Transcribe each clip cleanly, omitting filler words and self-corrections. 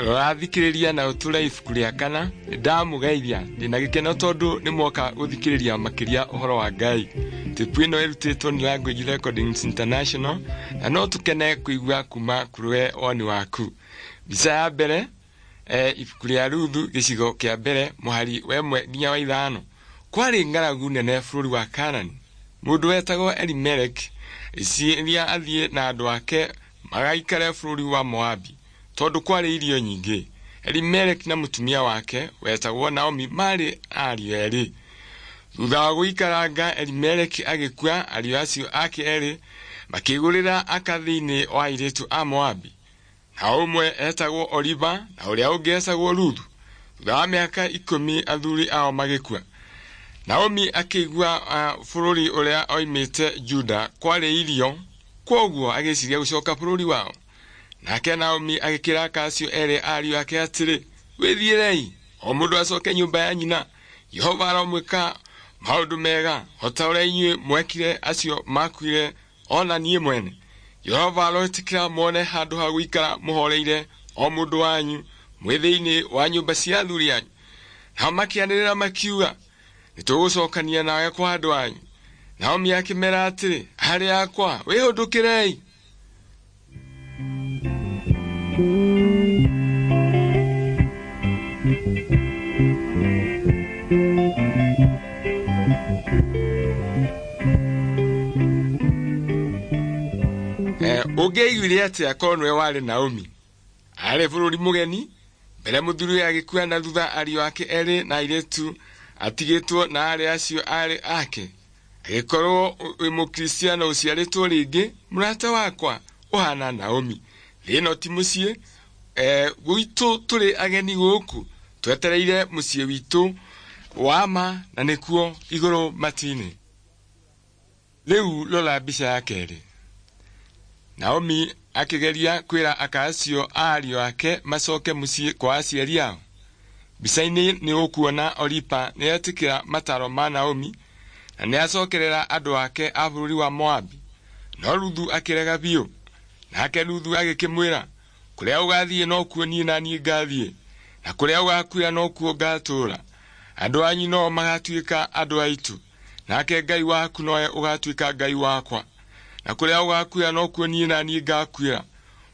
Rathikĩrĩria na ũtũre ibuku rĩa kana ndamũgeithia ndĩna gĩkeno tondũ nĩ mwoka gũthikĩrĩria makĩria ũhoro wa Ngai. Tipu ĩno ĩrutĩtwo nĩ Language Recordings International na no tũkene kũigua kuma kũrĩ woni waku. Mbica ya mbere ibuku rĩa Ruthu gĩcigo kĩa mbere mũhari wa 1 nginya wa 5. Kwarĩ ng'aragu nene bũrũri wa Kaanani. Mũndũ wetagwo Elimelek ĩciria athiĩ na andũ ake magaikare bũrũri wa Moabi tondũ kwarĩ irio nyingĩ. Elimelek na mũtumia wake wetagwo Naomi maarĩ ariũ erĩ. Thutha wa gũikaranga Elimelek agĩkua, ariũ acio ake erĩ makĩgũrĩra aka thĩinĩ wa airĩtu a Moabi. Na ũmwe etagwo Oriba na ũrĩa ũngĩ etagwo Ruthu. Thutha wa mĩaka 10 athuri ao magĩkua. Naomi akĩigua bũrũri ũrĩa oimĩte Juda kwarĩ irio, kwoguo agĩciria gũcoka bũrũri wao. Nake Naomi agĩkĩra aka acio erĩ ariũ ake atĩrĩ, wĩthiĩrei, o mũndũ acoke nyũmba ya nyina. Jehova aromwĩka maũndũ mega o ta ũrĩa inyuĩ mwekire acio makuire ona niĩ mwene. Jehova aroĩtĩkĩra muone handũ ha gũikara mũhoreire o mũndũ wanyu mwĩ thĩinĩ wa nyũmba cia athuri anyu. Nao makĩanĩrĩra makiuga, nĩtũgũcokania nawe kwa andũ anyu. Naomi akĩmera atĩrĩ, arĩ akwa, wĩhũndũkĩrei. Ũngĩaiguire atĩa korwo nĩwe warĩ Naomi? Arĩ bũrũri mũgeni, mbere mũthuri agĩkua na thutha ariũ ake erĩ na airĩtu atigĩtwo na arĩ acio arĩ ake. Agĩkorwo wĩ mũkristiano ũciarĩtwo rĩngĩ, mũrata wakwa ũhana Naomi. Thĩ ĩno ti mũciĩ, gwitũ tũrĩ ageni gũkũ, twetereire mũciĩ witũ wa ma na nĩkuo igũrũ matu-inĩ. Rĩu rora mbica ya kerĩ. Naomi akĩgeria kwĩra aka acio a ariũ ake macoke mũciĩ kwa aciari ao. Mbica-inĩ nĩ ũkuona Oripa nĩetĩkĩra mataro ma Naomi na nĩacokerera andũ ake a bũrũri wa Moabi. No Ruthu akĩrega biũ. Nake Ruthu agĩkĩmwĩra, kũrĩa ũgathiĩ nokuo niĩ na niĩ ngathiĩ, na kũrĩa ũgakuĩra nokuo ngatũũra. Andũ anyu nao magatuĩka andũ aitũ, nake Ngai waku nowe ũgatuĩka Ngai wakwa. Na kũrĩa ũgakuĩra nokuo niĩ na niĩ ngakuĩra.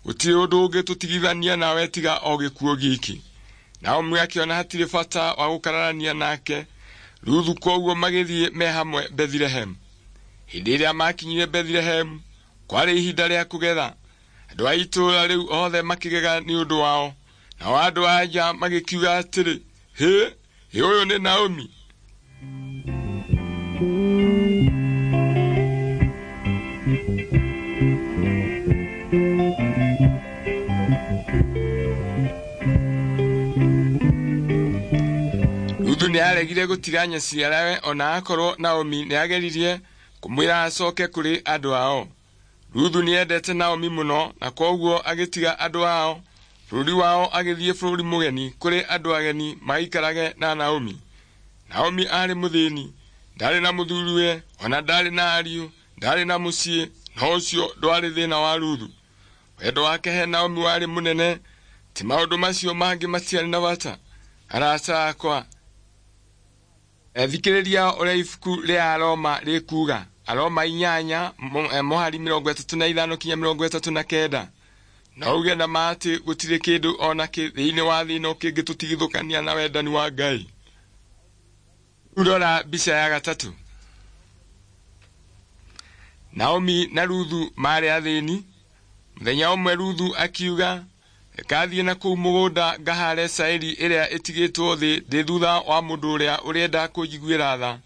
Gũtirĩ ũndũ ũngĩtũtigithania nawe tiga o gĩkuũ giki. Naomi akĩona hatirĩ bata wa gũkararania nake Ruthu, kwoguo magĩthiĩ me hamwe Bethilehemu. Hĩndĩ ĩrĩa makinyire Bethilehemu kwarĩ ihinda rĩa kũgetha. Andũ a itũũra rĩu othe makĩgega nĩ ũndũ wao, nao andũ a nja magĩkiuga atĩrĩ, hĩ, ĩ ũyũ nĩ Naomi. Ruthu nĩaregire gũtiga nyaciarawe ona akorwo Naomi nĩageririe kũmwĩra acoke kũrĩ andũ ao. Ruthu nĩendete Naomi mũno na kwoguo agĩtiga andũ ao bũrũri wao agĩthiĩ bũrũri mũgeni kũrĩ andũ ageni maikarage na Naomi. Naomi aarĩ mũthĩni, ndarĩ na mũthuriwe ona ndarĩ na ariũ, ndarĩ na mũciĩ, no ũcio ndwarĩ thĩna wa Ruthu. Wendo wake he Naomi warĩ mũnene, ti maũndũ macio mangĩ matiarĩ na bata. Arata akwa, thikĩrĩria ũrĩa ibuku rĩa Aroma rĩkuuga. Aroma 8 mũhari 35 kinya 39. No uge na ma atĩ gũtirĩ kĩndũ ona kĩ thĩinĩ wa thĩ ĩno kĩngĩtũtigithũkania na wendani wa Ngai. Rora mbica ya gatatũ. Naomi na Ruthu maarĩ athĩni. Mũthenya ũmwe Ruthu akiuga, reka thiĩ na kũu mũgũnda ngahare cairi ĩrĩa ĩtigĩtwo thĩ ndĩ thutha wa mũndũ ũrĩa ũrenda kũnjiguĩra tha.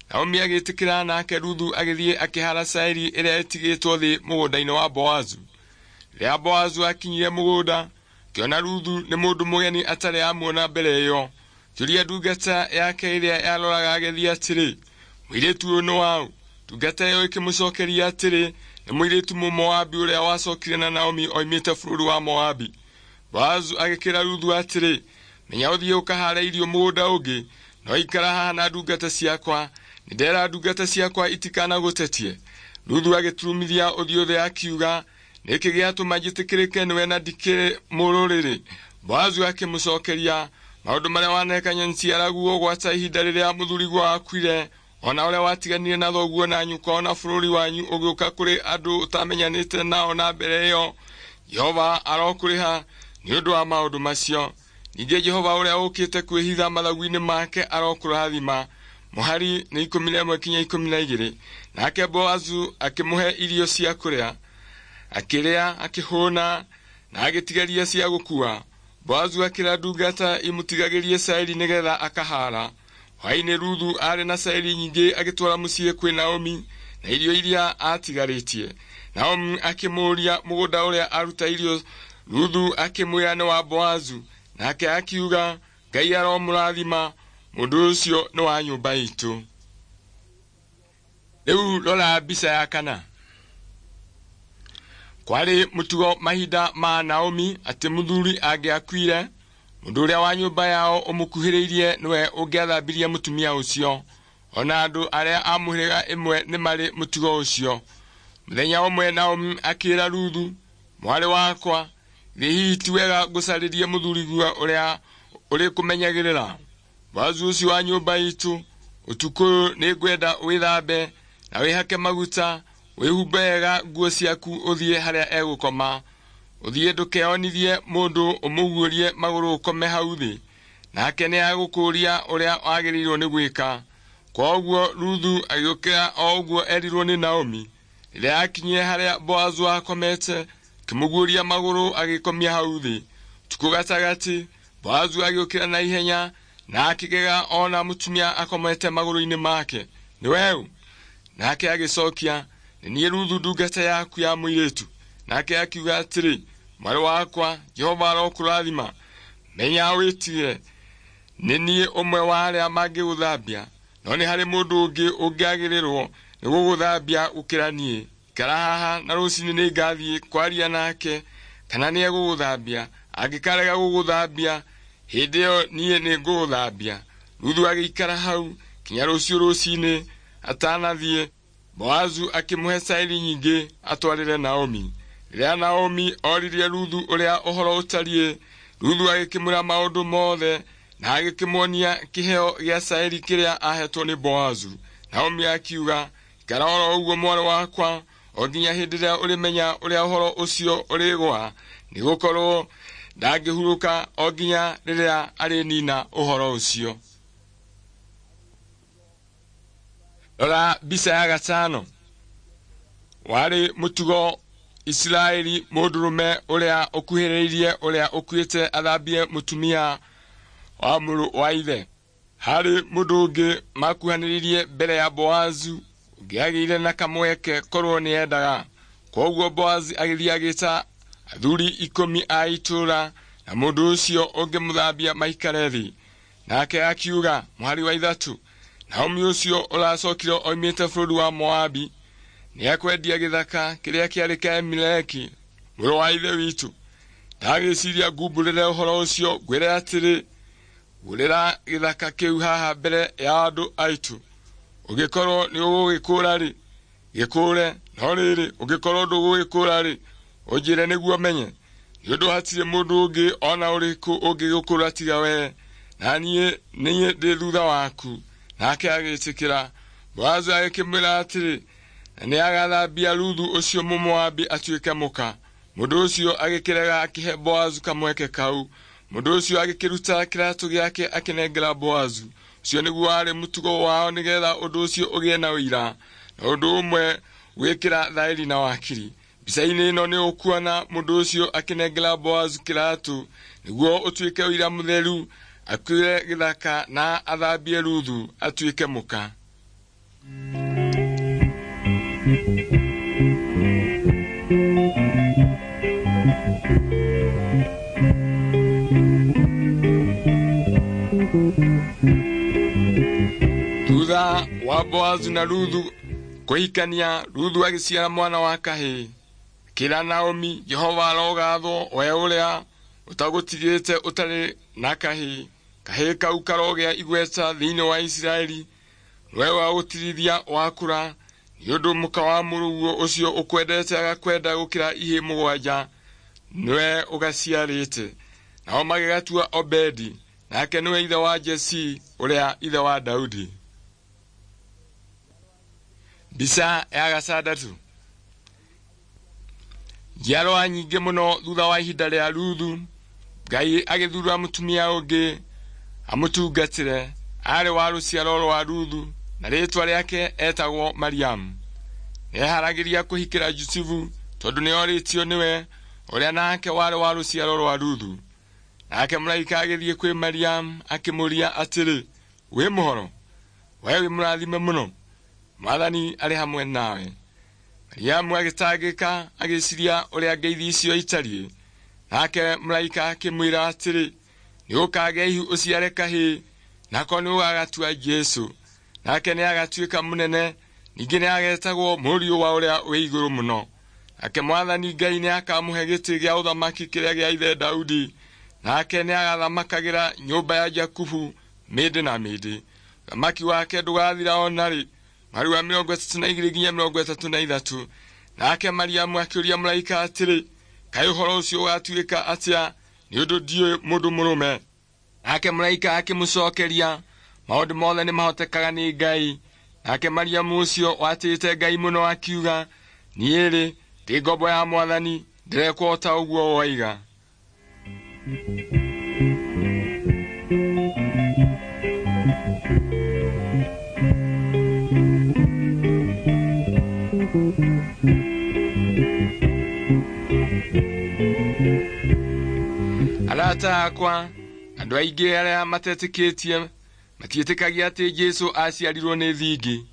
Naomi agĩtĩkĩra, nake Ruthu agĩthiĩ akĩhara cairi ĩrĩa ĩtigĩtwo thĩ mũgũnda-inĩ wa Boazu. Rĩrĩa Boazu akinyire mũgũnda, akĩona Ruthu nĩ mũndũ mũgeni atarĩ amuona mbere ĩyo. Akĩũria ndungata yake ĩrĩa yaroraga agethi atĩrĩ, mũirĩtu ũyũ nĩ waũ? Ndungata ĩyo ĩkĩmũcokeria atĩrĩ, nĩ mũirĩtu Mũmoabi ũrĩa wacokire na Naomi oimĩte bũrũri wa Moabi. Boazu agĩkĩra Ruthu atĩrĩ, menya ũthiĩ ũkahare irio mũgũnda ũngĩ, no ikara haha na ndungata ciakwa. Nĩndera ndungata ciakwa itikanagũtetie. Ruthu agĩturumithia ũthiũ thĩ akiuga, nĩkĩ gĩatũma njĩtĩkĩrĩke nĩwe na ndikĩrĩ mũrũrĩrĩ? Boazu akĩmũcokeria, maũndũ marĩa waneka nyaciaraguo gwata ihinda rĩrĩa mũthuriguo akuire, ona ũrĩa watiganire na thoguo na nyũkwa ona bũrũri wanyu ũgĩũka kũrĩ andũ ũtamenyanĩte nao na mbere ĩyo. Jehova arokũrĩha nĩ ũndũ wa maũndũ macio. Ningĩ Jehova ũrĩa ũkĩte kwĩhitha mathagu-inĩ make arokũrathima. Mũhari nĩ 11 kinya 12. Nake Boazu akĩmũhe irio cia kũrĩa, akĩrĩa akĩhũna na agĩtigaria cia gũkua. Boazu akĩra ndungata imũtigagĩrie cairi nĩgetha akahara. Hwaĩ-inĩ Ruthu aarĩ na cairi nyingĩ agĩtwara mũciĩ kwĩ Naomi na irio iria atigarĩtie. Naomi akĩmũũria mũgũnda ũrĩa aruta irio. Ruthu akĩmwĩra nĩ wa Boazu, nake akiuga, Ngai aromũrathima, mũndũ ũcio nĩ wa nyũmba itũ. Rĩu rora mbica ya kana. Kwarĩ mũtugo mahinda ma Naomi atĩ mũthuri angĩakuire, mũndũ ũrĩa wa nyũmba yao ũmũkuhĩrĩirie nĩwe ũngĩathambirie mũtumia ũcio. Ona andũ arĩa a mũhĩrĩga ĩmwe nĩ marĩ mũtugo ũcio. Mũthenya ũmwe Naomi akĩra Ruthu, mwarĩ wakwa, githĩ hihi ti wega ngũcarĩrie mũthuriguo ũrĩa ũrĩkũmenyagĩrĩra? Boazu ũcio wa nyũmba itũ, ũtukũ ũyũ nĩngwenda wĩthambe na wĩhake maguta, wĩhumbe wega nguo ciaku ũthiĩ harĩa egũkoma. Ũthiĩ ndũkeonithie mũndũ ũmũguũrie magũrũ ũkome hau thĩ, nake nĩagũkũũria ũrĩa wagĩrĩirwo nĩ gwĩka. Kwoguo Ruthu agĩũkĩra o ũguo erirwo nĩ Naomi. Rĩrĩa aakinyire harĩa Boazu akomete, akĩmũguũria magũrũ agĩkomia hau thĩ. Ũtukũ gatagatĩ, Boazu agĩũkĩra na ihenya na akĩgega ona mũtumia akomete magũrũ-inĩ make. Nĩ weũ? Nake agĩcokia, nĩ niĩ Ruthu ndungata yaku ya mũirĩtu. Nake akiuga atĩrĩ, mwarĩ wakwa, Jehova arokũrathima. Menya wĩtigĩre, nĩ niĩ ũmwe wa arĩa mangĩgũthambia, no nĩ harĩ mũndũ ũngĩ ũngĩagĩrĩrwo nĩ gũgũthambia gũkĩra niĩ. Ikara haha na rũcinĩ nĩngathiĩ kwaria nake kana nĩegũgũthambia. Angĩkarega gũgũthambia, hĩndĩ ĩyo niĩ nĩngũgũthambia. Ruthu agĩikara hau kinya rũciũ rũcinĩ atanathiĩ. Boazu akĩmũhe cairi nyingĩ atwarĩre Naomi. Rĩrĩa Naomi oririe Ruthu ũrĩa ũhoro ũtariĩ, Ruthu agĩkĩmwĩra maũndũ mothe na agĩkĩmuonia kĩheo gĩa cairi kĩrĩa ahetwo nĩ Boazu. Naomi akiuga, ikara oro ũguo mwarĩ wakwa, o nginya hĩndĩ ĩrĩa ũrĩmenya ũrĩa ũhoro ũcio ũrĩgũa, nĩgũkorwo ndangĩhurũka o nginya rĩrĩa arĩnina ũhoro ũcio. Rora mbica ya gatano. Warĩ mũtugo Isiraeli mũndũrũme ũrĩa ũkuhĩrĩirie ũrĩa ũkuĩte athambie mũtumia wa mũrũ wa ithe. Harĩ mũndũ ũngĩ makuhanĩrĩirie mbere ya Boazu ũngĩagĩire na kamweke korwo nĩendaga. Kwoguo Boazu agĩthiĩ agĩta athuri 10 a itũũra na mũndũ ũcio ũngĩmũthambia maikare thĩ. Nake akiuga, mũhari wa 3, Naomi ũcio ũracokire oimĩte bũrũri wa Moabi nĩekwendia gĩthaka kĩrĩa kĩarĩ kĩa Elimeleki mũrũ wa ithe witũ. Ndagĩciria ngumbũrĩre ũhoro ũcio ngwĩre atĩrĩ, gũrĩra gĩthaka kĩu haha mbere ya andũ aitũ. Ũngĩkorwo nĩũgũgĩkũũra-rĩ, gĩkũũre, no rĩrĩ, ũngĩkorwo ndũgũgĩkũũra-rĩ, ũnjĩre nĩguo menye. Nĩ ũndũ hatirĩ mũndũ ũngĩ ona ũrĩkũ ũngĩgũkũũra tiga wee, na niĩ niĩ ndĩ thutha waku. Nake agĩĩtĩkĩra. Boazu agĩkĩmwĩra atĩrĩ, na nĩagathambia Ruthu ũcio Mũmoabi atuĩke mũka. Mũndũ ũcio agĩkĩrega akĩhe Boazu kamweke kau. Mũndũ ũcio agĩkĩruta kĩratũ gĩake akĩnengera Boazu. Ũcio nĩguo warĩ mũtugo wao nĩgetha ũndũ ũcio ũgĩe na ũira, na ũndũ ũmwe gwĩkĩra thaĩri na wakiri. Mbica-inĩ ĩno nĩ ũkuona mũndũ ũcio akĩnengera Boazu kĩratũ nĩguo ũtuĩke ũira mũtheru, akuĩre gĩthaka na athambie Ruthu atuĩke mũka. Thutha wa Boazu na Ruthu kũhikania, Ruthu agĩciara mwana wa kahĩĩ. Akĩĩra Naomi, Jehova arogathwo we ũrĩa ũtagũtigĩte ũtarĩ na kahĩĩ. Kahĩĩ kau karogĩa igweta thĩinĩ wa Isiraeli, nĩwe wagũtirithia wakũra, Nĩ ũndũ mũka wa mũrũguo ũcio ũkwendete agakwenda gũkĩra ihĩĩ 7, nĩwe ũgaciarĩte. Nao magĩgatua Obedi, nake nĩwe ithe wa Jesii ũrĩa ithe wa Daudi. Mbica ya 6. Njiarwa nyingĩ mũno thutha wa ihinda rĩa Ruthu, Ngai agĩthura mũtumia ũngĩ amũtungatĩre. Aarĩ wa rũciaro rwa Ruthu na rĩĩtwa rĩake etagwo Mariamu. Nĩeharagĩria kũhikĩra Jusufu tondũ nĩorĩtio nĩwe, ũrĩa nake warĩ wa rũciaro rwa Ruthu. Nake mũraika agĩthiĩ kwĩ Mariamu akĩmũũria atĩrĩ, wĩ mũhoro? We wĩ mũrathime mũno, Mwathani arĩ hamwe nawe. Mariamu agĩtangĩka agĩciria ũrĩa ngeithi icio itariĩ. Nake mũraika akĩmwĩra atĩrĩ, nĩũkagĩa ihu ũciare kahĩĩ, nako nĩũgagatua Jesũ. Nake nĩagatuĩka mũnene, ningĩ nĩagetagwo Mũriũ wa ũrĩa wĩ igũrũ mũno. Nake Mwathani Ngai nĩakamũhe gĩtĩ gĩa ũthamaki kĩrĩa gĩa ithe Daudi, nake nĩagathamakagĩra nyũmba ya Jakubu mĩndĩ na mĩndĩ. Ũthamaki wake ndũgathira o narĩ. Mweri wa 32 nginya 33. Nake Mariamu akĩũria mũraika atĩrĩ, kaĩ ũhoro ũcio ũgatuĩka atĩa, nĩ ũndũ ndiũĩ mũndũ mũrũme? Nake mũraika akĩmũcookeria, maũndũ mothe nĩmahotekaga nĩ Ngai. Nake Mariamu ũcio watĩĩte Ngai mũno akiuga, niĩ-rĩ, ndĩ ngombo ya Mwathani, ndĩrekwo o ta ũguo woiga. Arata akwa, andũ aingĩ arĩa matetĩkĩtie matiĩtĩkagia atĩ Jesũ aciarirwo nĩ thingi.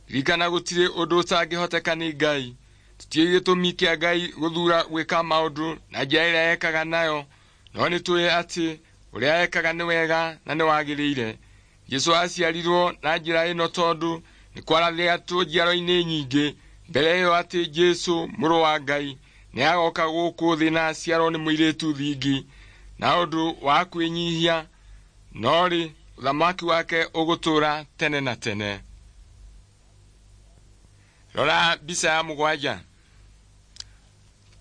Ririkana gũtirĩ ũndũ ũtangĩhoteka nĩ Ngai. Tũtiũĩ gĩtũmi kĩa Ngai gũthuura gwĩka maũndũ na njĩra ĩrĩa ekaga nayo, no nĩtũĩ atĩ ũrĩa ekaga nĩ wega na nĩwagĩrĩire. Jesũ aciarirwo na njĩra ĩno tondũ nĩ kwarathĩtwo njiaro-inĩ nyingĩ mbere ĩyo atĩ Jesũ mũrũ wa Ngai nĩagoka gũkũ thĩ na aciarwo nĩ mũirĩtu thingi na ũndũ wa kwĩnyihia, no rĩ ũthamaki wake ũgũtũũra tene na tene. Rora mbica ya 7.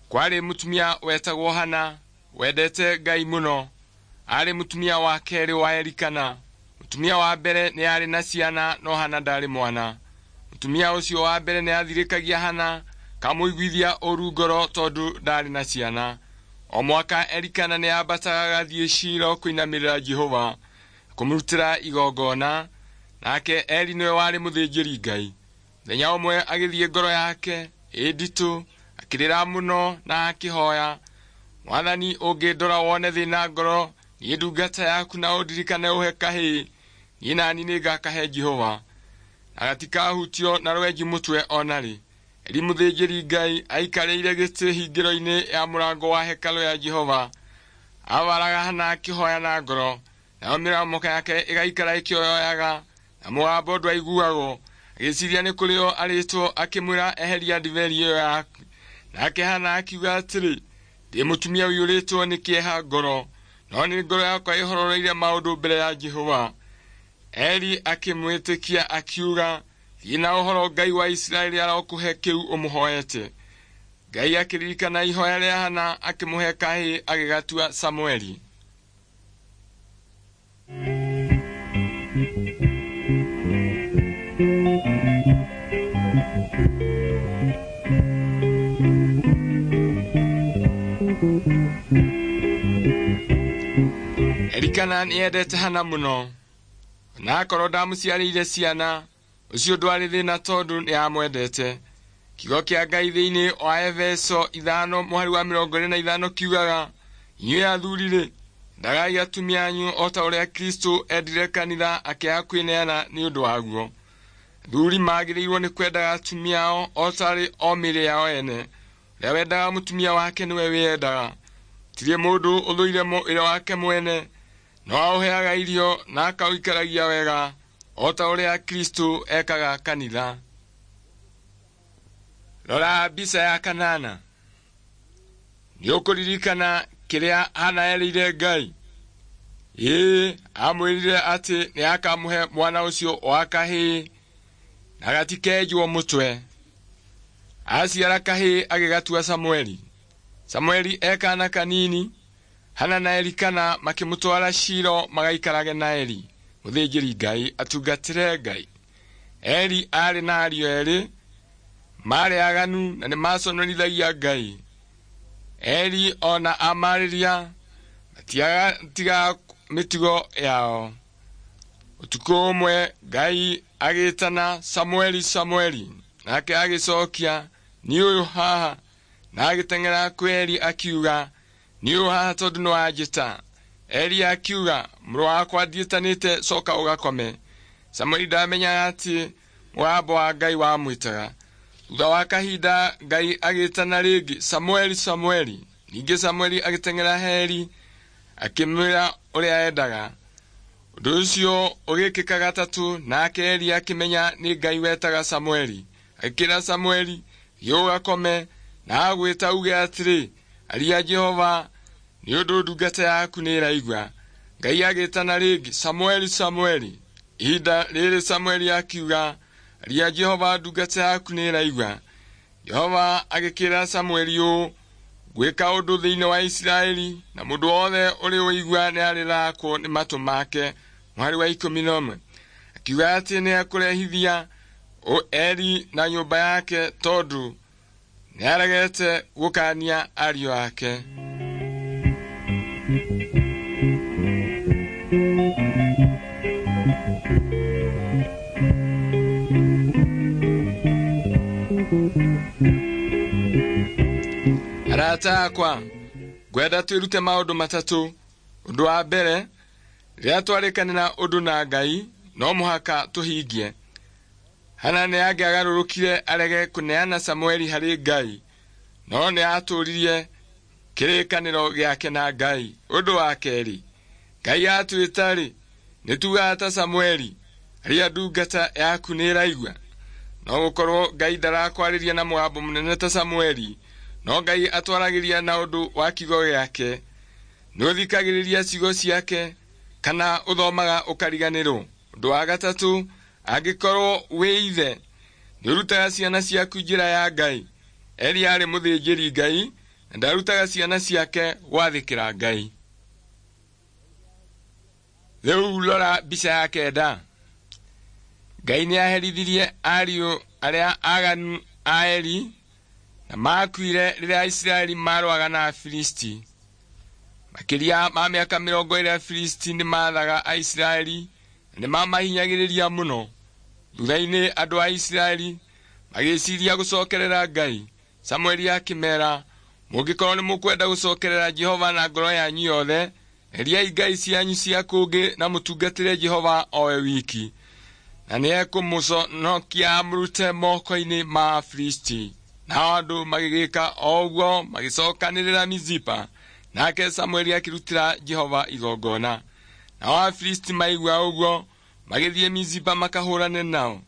Kwarĩ mũtumia wetagwo Hana wendete Ngai mũno. Aarĩ mũtumia wa kerĩ wa Elikana. Mũtumia wa mbere nĩ aarĩ na ciana no Hana ndaarĩ mwana. Mũtumia ũcio wa mbere nĩ athirĩkagia Hana kamũiguithia ũru ngoro tondũ ndaarĩ na ciana. O mwaka Elikana nĩ ambataga agathiĩ Shilo kũinamĩrĩra Jehova kũmũrutĩra igongona, nake Eli nĩwe warĩ mũthĩnjĩri Ngai. Mũthenya ũmwe agĩthiĩ ngoro yake ĩ nditũ, akĩrĩra mũno na akĩhoya, Mwathani ũngĩndora wone thĩna ngoro, niĩ ndungata yaku na ũndirikane ũhe kahĩĩ, niĩ nani nĩngakahe Jehova, na gatikahutio na rwenji mũtwe o narĩ. Eli mũthĩnjĩri Ngai aikarĩire gĩtĩ hingĩro-inĩ ya mũrango wa hekarũ ya Jehova. Abaraga Hana akĩhoya na ngoro, nayo mĩromo yake ĩgaikara ĩkĩoyoyaga, na mũgambo ndwaiguagwo. Agĩciria nĩ kũrĩo arĩtwo, akĩmwĩra eheria ndibei ĩyo yaku. Nake Hana akiuga atĩrĩ, ndĩ mũtumia ũiyũrĩtwo nĩ kĩeha ngoro, no nĩ ngoro yakwa ĩhororeire maũndũ mbere ya Jehova. Eli akĩmwĩtĩkia akiuga, thiĩ na ũhoro, Ngai wa Isiraeli arokũhe kĩu ũmũhoete. Ngai akĩririkana ihoya rĩa Hana, akĩmũhe kahĩĩ agĩgatua Samueli. Elikana nĩendete Hana mũno, na akorwo ndamũciarĩire ciana, ũcio ndwarĩ thĩna tondũ nĩamwendete. Kiugo kĩa Ngai thĩinĩ wa Efeso 5 mũhari wa 25 kiugaga, inyuĩ athuri-rĩ, endagai atumia anyu o ta ũrĩa Kristũ endire kanitha akĩaga kwĩneana nĩ ũndũ waguo. Athuri magĩrĩirwo nĩ kwendaga atumia ao o tarĩ o mĩĩrĩ yao ene. Ũrĩa wendaga mũtumia wake nĩwe wĩyendaga. Gũtirĩ mũndũ ũthũire mwĩrĩ wake mwene, no aũheaga irio na akaũikaragia wega, o ta ũrĩa Kristũ ekaga kanitha. Rora mbica ya 8. Nĩũkũririkana kĩrĩa Hana erĩire Ngai? Ĩĩ, amwĩrire atĩ nĩakamũhe mwana ũcio wa kahĩĩ na gatikenjwo mũtwe. Aciara kahĩĩ agĩgatua Samueli. Samueli e kaana kanini, Hana na Elikana makĩmũtwara Shilo magaikarage na Eli, mũthĩnjĩri Ngai atungatĩre Ngai. Eli aarĩ na ariũ erĩ, maarĩ aganu na nĩmaconorithagia Ngai. Eli ona amarĩria matiatigaga mĩtugo yao. Ũtukũ ũmwe Ngai agĩtana Samueli, Samueli, nake agĩcokia, "Niĩ ũyũ haha." Na agĩteng'era kwĩ Eli akiuga, "Niĩ ũyũ haha tondũ nĩwanjĩta." Eli akiuga, "Mũrũ wakwa ndiĩtanĩte, coka ũgakome." Samueli ndamenyaga atĩ mũgambo wa Ngai wamwĩtaga. Thutha wa kahinda Ngai agĩtana rĩngĩ, "Samueli, Samueli." Ningĩ Samueli agĩteng'era he Eli akĩmwĩra ũrĩa endaga. Ũndũ ũcio ũgĩkĩka gatatũ, nake Eli akĩmenya nĩ Ngai wetaga Samueli. Agĩkĩra Samueli, "Thiĩ ũgakome," na agwĩta uge atĩrĩ, "Aria Jehova, nĩ ũndũ ndungata yaku nĩĩraigua." Ngai agĩtana rĩngĩ, "Samueli, Samueli." Ihinda rĩrĩ Samueli akiuga, "Aria Jehova, ndungata yaku nĩĩraigua." Jehova agĩkĩra Samueli ũũ, "Ngwĩka ũndũ thĩinĩ wa Isiraeli, na mũndũ wothe ũrĩ ũigua nĩarĩrakwo nĩ matũ make." Mũhari wa 11. Akiuga atĩ nĩekũrehithia Eli na nyũmba yake tondũ nĩaregete gũkaania ariũ ake. Arata akwa, ngwenda twĩrute maũndũ matatũ. Ũndũ wa mbere, rĩrĩa twarĩkanĩra ũndũ na Ngai, no mũhaka tũhingie. Hana nĩangĩagarũrũkire arege kũneana Samueli harĩ Ngai, no nĩatũũririe kĩrĩkanĩro gĩake na Ngai. Ũndũ wa kerĩ, Ngai atwĩta-rĩ, nĩtugaga ta Samueli, "Aria ndungata yaku nĩĩraigua." No gũkorwo Ngai ndarakwarĩria na mũgambo mũnene ta Samueli, no Ngai atwaragĩria na ũndũ wa kiugo gĩake. Nĩũthikagĩrĩria ciugo ciake kana ũthomaga ũkariganĩrwo. Ũndũ wa gatatũ, angĩkorwo wĩ ithe, nĩũrutaga ciana ciaku njĩra ya Ngai. Eli aarĩ mũthĩnjĩri Ngai na ndarutaga ciana ciake gwathĩkĩra Ngai. Rĩu rora mbica ya 9. Ngai nĩaherithirie ariũ arĩa aganu a Eli na makuire rĩrĩa Aisiraeli marũaga na Afilisti. Makĩria ma mĩaka 20 Afilisti nĩmathaga Aisiraeli na nĩmamahinyagĩrĩria mũno. Thutha-inĩ andũ a Isiraeli magĩciria gũcokerera Ngai. Samueli akĩmeera, "Mũngĩkorwo nĩmũkwenda gũcokerera Jehova na ngoro yanyu yothe, eriai ngai cianyu cia kũngĩ na mũtungatĩre Jehova o we wiki, na nĩekũmũconokia amũrute moko-inĩ ma Afilisti." Nao andũ magĩgĩka o ũguo, magĩcokanĩrĩra Mizipa, nake Samueli akĩrutĩra Jehova igongona. Nao Afilisti maigua ũguo, magĩthiĩ Mizipa makahũrane nao.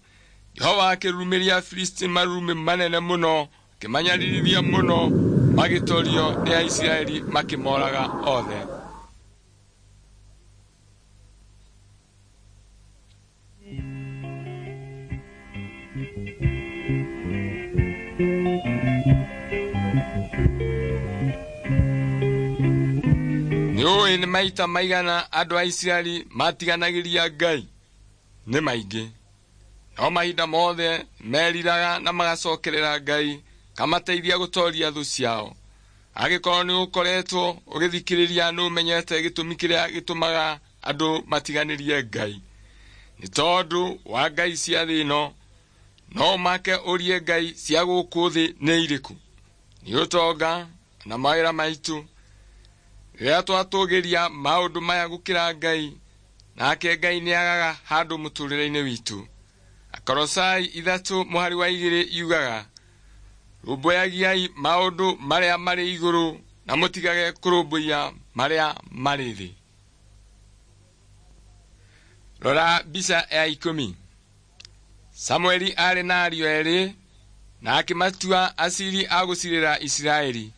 Jehova akĩrurumĩria Afilisti marurumĩ manene mũno, akĩmanyaririthia mũno, magĩtorio nĩ Aisiraeli makĩmoraga othe. Nĩũĩ nĩ maita maigana andũ a Isiraeli matiganagĩria Ngai? Nĩ maingĩ. No mahinda mothe meriraga na magacokerera Ngai kamateithia gũtoria thũ ciao. Angĩkorwo nĩ ũkoretwo ũgĩthikĩrĩria nĩũmenyete gĩtũmi kĩrĩa gĩtũmaga andũ matiganĩrie Ngai. Nĩ tondũ wa ngai cia thĩ ĩno. No ũmake ũrie ngai cia gũkũ thĩ nĩ irĩkũ? Nĩ ũtonga na mawĩra maitũ. Rĩrĩa twatũgĩria maũndũ maya gũkĩra Ngai, nake Ngai nĩagaga handũ mũtũrĩre-inĩ witũ. Akolosai 3:2 yugaga, "Rũmbũyagiai maũndũ marĩa marĩ igũrũ na mũtigage kũrũmbũiya marĩa marĩ thĩ." Rora mbica ya 10. Samueli aarĩ na ariũ erĩ na akĩmatua aciri a gũcirĩra Isiraeli.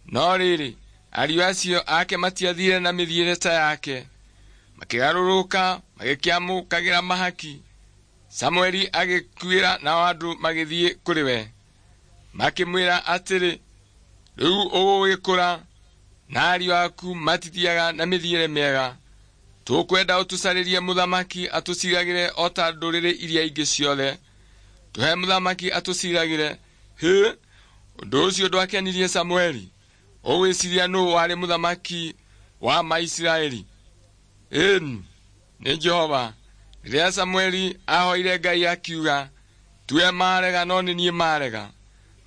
No rĩrĩ, ariũ acio ake matiathiire na mĩthiĩre ta yake, makĩgarũrũka magĩkĩamũkagĩra mahaki. Samueli agĩkuĩra nao andũ magĩthiĩ kũrĩ we. Makĩmwĩra atĩrĩ, rĩu ũgũgĩkũra na ariũ aku matithiaga na mĩthiĩre mĩega. Tũkwenda ũtũcarĩrie mũthamaki atũciragĩre o ta ndũrĩrĩ iria ingĩ ciothe. Tũhe mũthamaki atũciragĩre. Hĩ, ũndũ ũcio ndwakenirie Samueli. Ũgwĩciria nũũ warĩ mũthamaki wa Maisiraeli? Ĩni, nĩ Jehova. Rĩrĩa Samueli ahoire Ngai akiuga, tiwe marega no nĩ niĩ marega.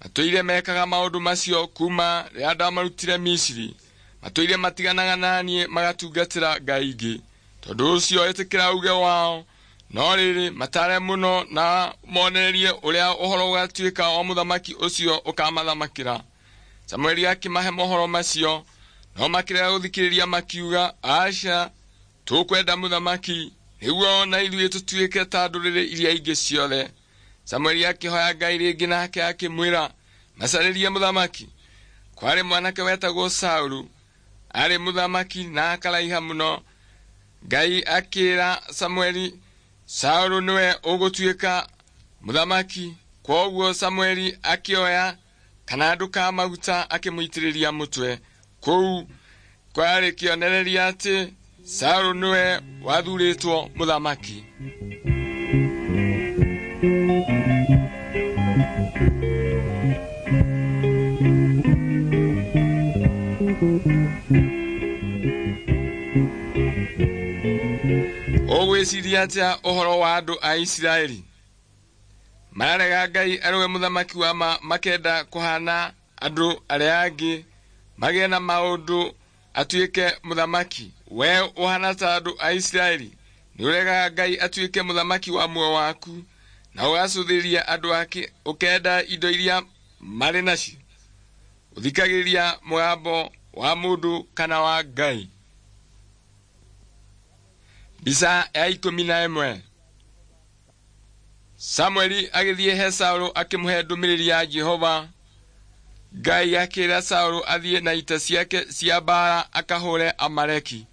Matũire mekaga maũndũ macio kuma rĩrĩa ndamarutire Misiri. Matũire matiganaga na niĩ magatungatĩra ngai ingĩ. Tondũ ũcio ĩtĩkĩra uge wao, no rĩrĩ matare mũno na monererie ũrĩa ũhoro ũgatuĩka wa mũthamaki ũcio ũkamathamakĩra. Samueli akĩmahe mohoro macio, no makĩrega gũthikĩrĩria makiuga, aca, tũkwenda mũthamaki nĩguo na ithuĩ tũtuĩke ta ndũrĩrĩ iria ingĩ ciothe. Samueli akĩhoya Ngai rĩngĩ nake akĩmwĩra macarĩrie mũthamaki. Kwarĩ mwanake wetagwo Saulu, arĩ mũthamaki na akaraiha mũno. Ngai akĩra Samueli, Saulu nĩwe ũgũtuĩka mũthamaki. Kwoguo Samueli akĩoya kanandũ ka maguta akĩmũitĩrĩria mũtwe. Kũu kwarĩ kĩonereria atĩ Saulu nĩwe wathurĩtwo mũthamaki. Ũgwĩciria atĩa ũhoro wa andũ a Isiraeli? Mararega Ngai arĩwe mũthamaki wa ma, makenda kũhana andũ arĩa angĩ, magĩe na maũndũ atuĩke mũthamaki. We ũhana ta andũ a Isiraeli, nĩ ũregaga Ngai atuĩke mũthamaki wa muoyo waku, na ũgacũthĩrĩria andũ ake ũkenda indo iria marĩ nacio. Ũthikagĩrĩria mũgambo wa mũndũ kana wa Ngai? Mbica ya 11. Samueli agĩthiĩ he Saũlũ akĩmũhe ndũmĩrĩri ya Jehova. Ngai akĩra Saũlũ athiĩ na ita ciake cia mbaara akahũre Amaleki.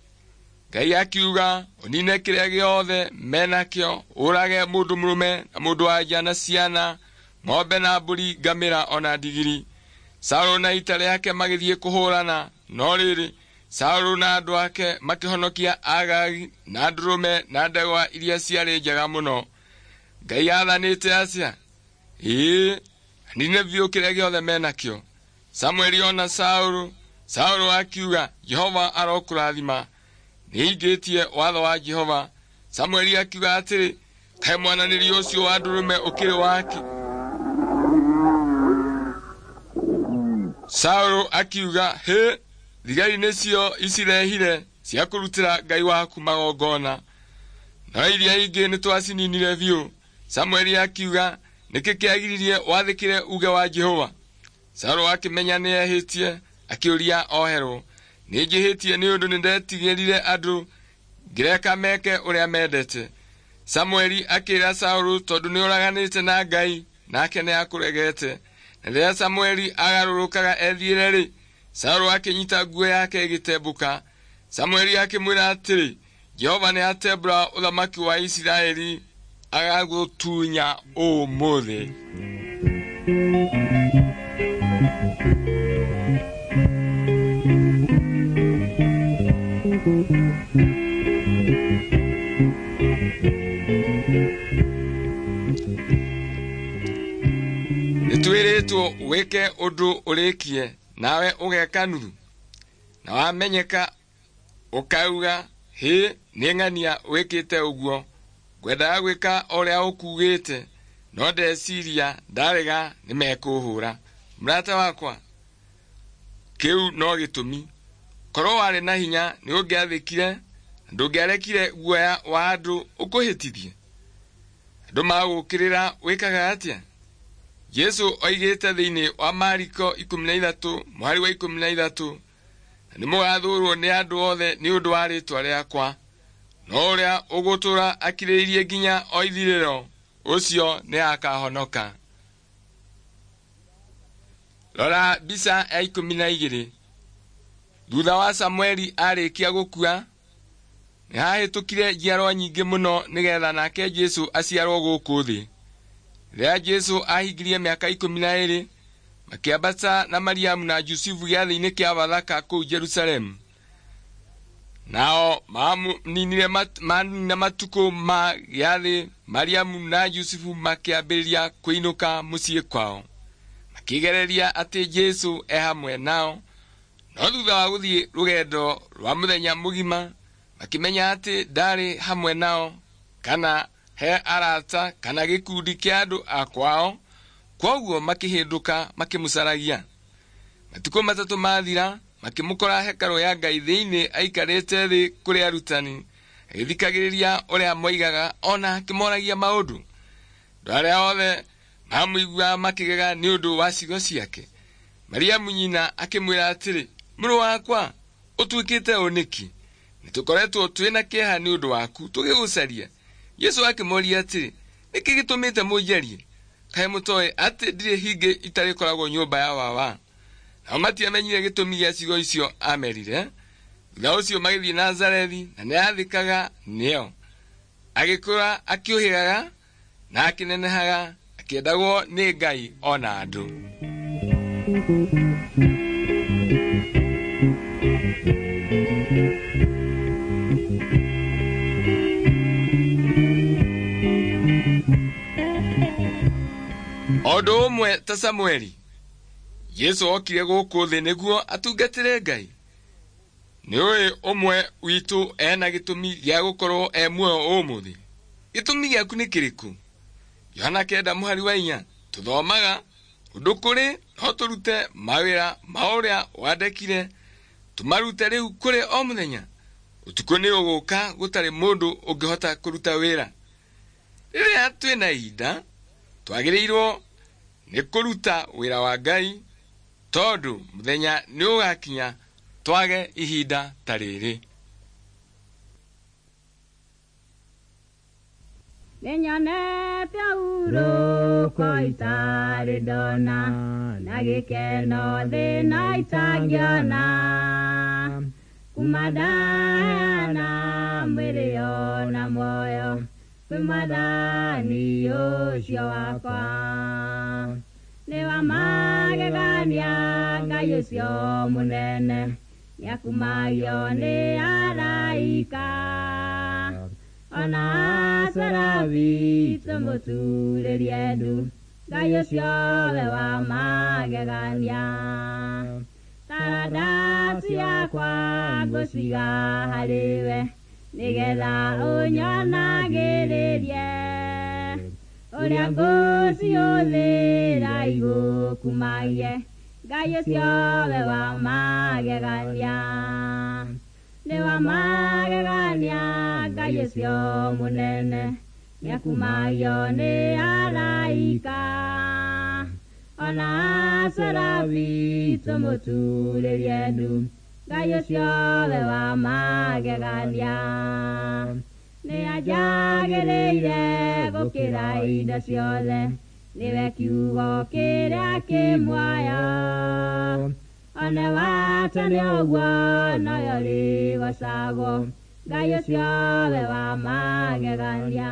Ngai akiuga ũnine kĩrĩa gĩothe menakĩo, ũrage mũndũ mũrũme na mũndũ wa nja na ciana, ng'ombe na mbũri, ngamĩra ona ndigiri. Saũlũ na ita rĩake magĩthiĩ kũhũrana, no rĩrĩ, Saũlũ na andũ ake makĩhonokia Agagi na ndũrũme na ndegwa iria ciarĩ njega mũno. Ngai aathanĩte atĩa? Ĩĩ, anine biũ kĩrĩa gĩothe menakĩo. Samueli ona Saũlũ, Saũlũ akiuga, Jehova arokũrathima. Nĩingĩtie watho wa Jehova. Samueli akiuga atĩrĩ, kaĩ mwananĩrio ũcio wa ndũrũme ũkĩrĩ wake? Saũlũ akiuga, hĩ, thigari nĩcio icirehire cia kũrutĩra Ngai waku magongona, no iria ingĩ nĩtwacininire biũ. Samueli akiuga, nĩkĩ kĩagiririe wathĩkĩre uge wa Jehova? Saũlũ akĩmenya nĩehĩtie, akĩũria oherwo. Nĩnjĩhĩtie nĩ ũndũ nĩndetigĩrire andũ, ngĩreka meke ũrĩa mendete. Samueli akĩra Saũlũ, tondũ nĩũraganĩte na Ngai, nake nĩakũregete. Na rĩrĩa Samueli agarũrũkaga ethiĩre-rĩ, Saũlũ akĩnyita nguo yake ĩgĩtembũka. Samueli akĩmwĩra atĩrĩ, Jehova nĩatembũra ũthamaki wa Isiraeli agagũtunya ũmũthĩ. Nĩtwĩrĩtwo wĩke ũndũ ũrĩkie, nawe ũgeka nuthu, na wamenyeka ũkauga, hĩ, nĩ ng'ania wĩkĩte ũguo. Ngwendaga gwĩka ũrĩa ũkugĩte, no ndeciria ndarega nĩmekũhũra. Mũrata wakwa, kĩu no gĩtũmi. Korwo warĩ na hinya nĩũngĩathĩkire na ndũngĩarekire guoya wa andũ ũkũhĩtithie. Andũ magũũkĩrĩra wĩkaga atĩa? Jesũ oigĩte thĩinĩ wa Mariko 13 mũhari wa 13, na nĩmũgathũũrwo nĩ andũ othe nĩ ũndũ wa rĩĩtwa rĩakwa, no ũrĩa ũgũtũũra akirĩrĩirie nginya o ithirĩro, ũcio nĩakahonoka. Rora mbica ya 12. Thutha wa Samueli arĩkia gũkua, nĩhahĩtũkire njiarwa nyingĩ mũno nĩgetha nake Jesũ aciarwo gũkũ thĩ. Rĩrĩa Jesũ ahingirie mĩaka 12, Makĩambata na Mariamu na Jusufu gĩathĩ-inĩ kĩa Bathaka kũu Jerusalemu. Nao manina matukũ ma gĩathĩ, Mariamu na Jusufu makĩambĩrĩria kũinũka mũciĩ kwao. Makĩgereria atĩ Jesũ e hamwe nao, no thutha wa gũthiĩ rũgendo rwa mũthenya mũgima, makĩmenya atĩ ndarĩ hamwe nao kana he arata kana gĩkundi kĩa andũ a kwao, kwoguo makĩhĩndũka makĩmũcaragia. Matukũ 3 mathira, makĩmũkora hekarũ ya Ngai thĩinĩ aikarĩte thĩ kũrĩ arutani, agĩthikagĩrĩria ũrĩa moigaga ona akĩmoragia maũndũ. Andũ arĩa othe mamũiguaga makĩgega nĩ ũndũ wa ciugo ciake. Mariamu nyina akĩmwĩra atĩrĩ, mũrũ wakwa, ũtuĩkĩte ũ nĩkĩ? Nĩtũkoretwo twĩna kĩeha nĩ ũndũ waku tũgĩgũcaria. Jesũ akĩmoria atĩrĩ, nĩkĩ gĩtũmĩte mũnjarie? Kaĩ mũtoĩ atĩ ndirĩ hingĩ itarĩkoragwo nyũmba ya baba? Nao matiamenyire gĩtũmi gĩa ciugo icio amerire. Thutha ũcio magĩthiĩ Nazarethi, na nĩathĩkaga nĩo. Agĩkũra akĩũhĩgaga na akĩnenehaga, akĩendagwo nĩ Ngai ona andũ. O ũndũ ũmwe ta Samueli, Jesũ okire gũkũ thĩ nĩguo atungatĩre Ngai. Nĩũĩ ũmwe witũ ena gĩtũmi gĩa gũkorwo e muoyo ũmũthĩ. Gĩtũmi gĩaku nĩ kĩrĩkũ? Yohana 9:4 tũthomaga ũndũ kũrĩ no tũrute mawĩra ma ũrĩa wandekire, tũmarute rĩu kũrĩ o mũthenya. Ũtukũ nĩ ũgũka gũtarĩ mũndũ ũngĩhota kũruta wĩra. Rĩrĩa twĩna ihinda, twagĩrĩirwo nĩ kũruta wĩra wa Ngai, tondũ mũthenya nĩ ũgakinya twage ihinda ta rĩrĩ. Nĩnyonete hurũko itarĩ ndona, na gĩkeno thĩna itangĩona. Kuma ndaheana mwĩrĩ ona muoyo kwĩ Mwathani ũcio wakwa. Nĩ wa magegania Ngai ũcio mũnene, nĩakumagio nĩ araika. Ona Serafi tũmũturĩrie ndu, Ngai ũcio we wa magegania. Taranda ciakwa ngũciga harĩ we, nĩgetha ũnyonagĩrĩrie ũrĩa ngũciũthĩra igũkumagie, Ngai ũcio we wa magegania. Nĩ wa magegania Ngai ũcio mũnene, nĩakumagio nĩ araika. Ona Serafi tũmũturĩrie ndu, Ngai ũcio we wa magegania. Nĩanjagĩrĩire gũkĩra indo ciothe, nĩwe kiugo kĩrĩa kĩ muoyo. One wa tene ũguo noyo rĩgocagwo, Ngai ũcio we wa magegania.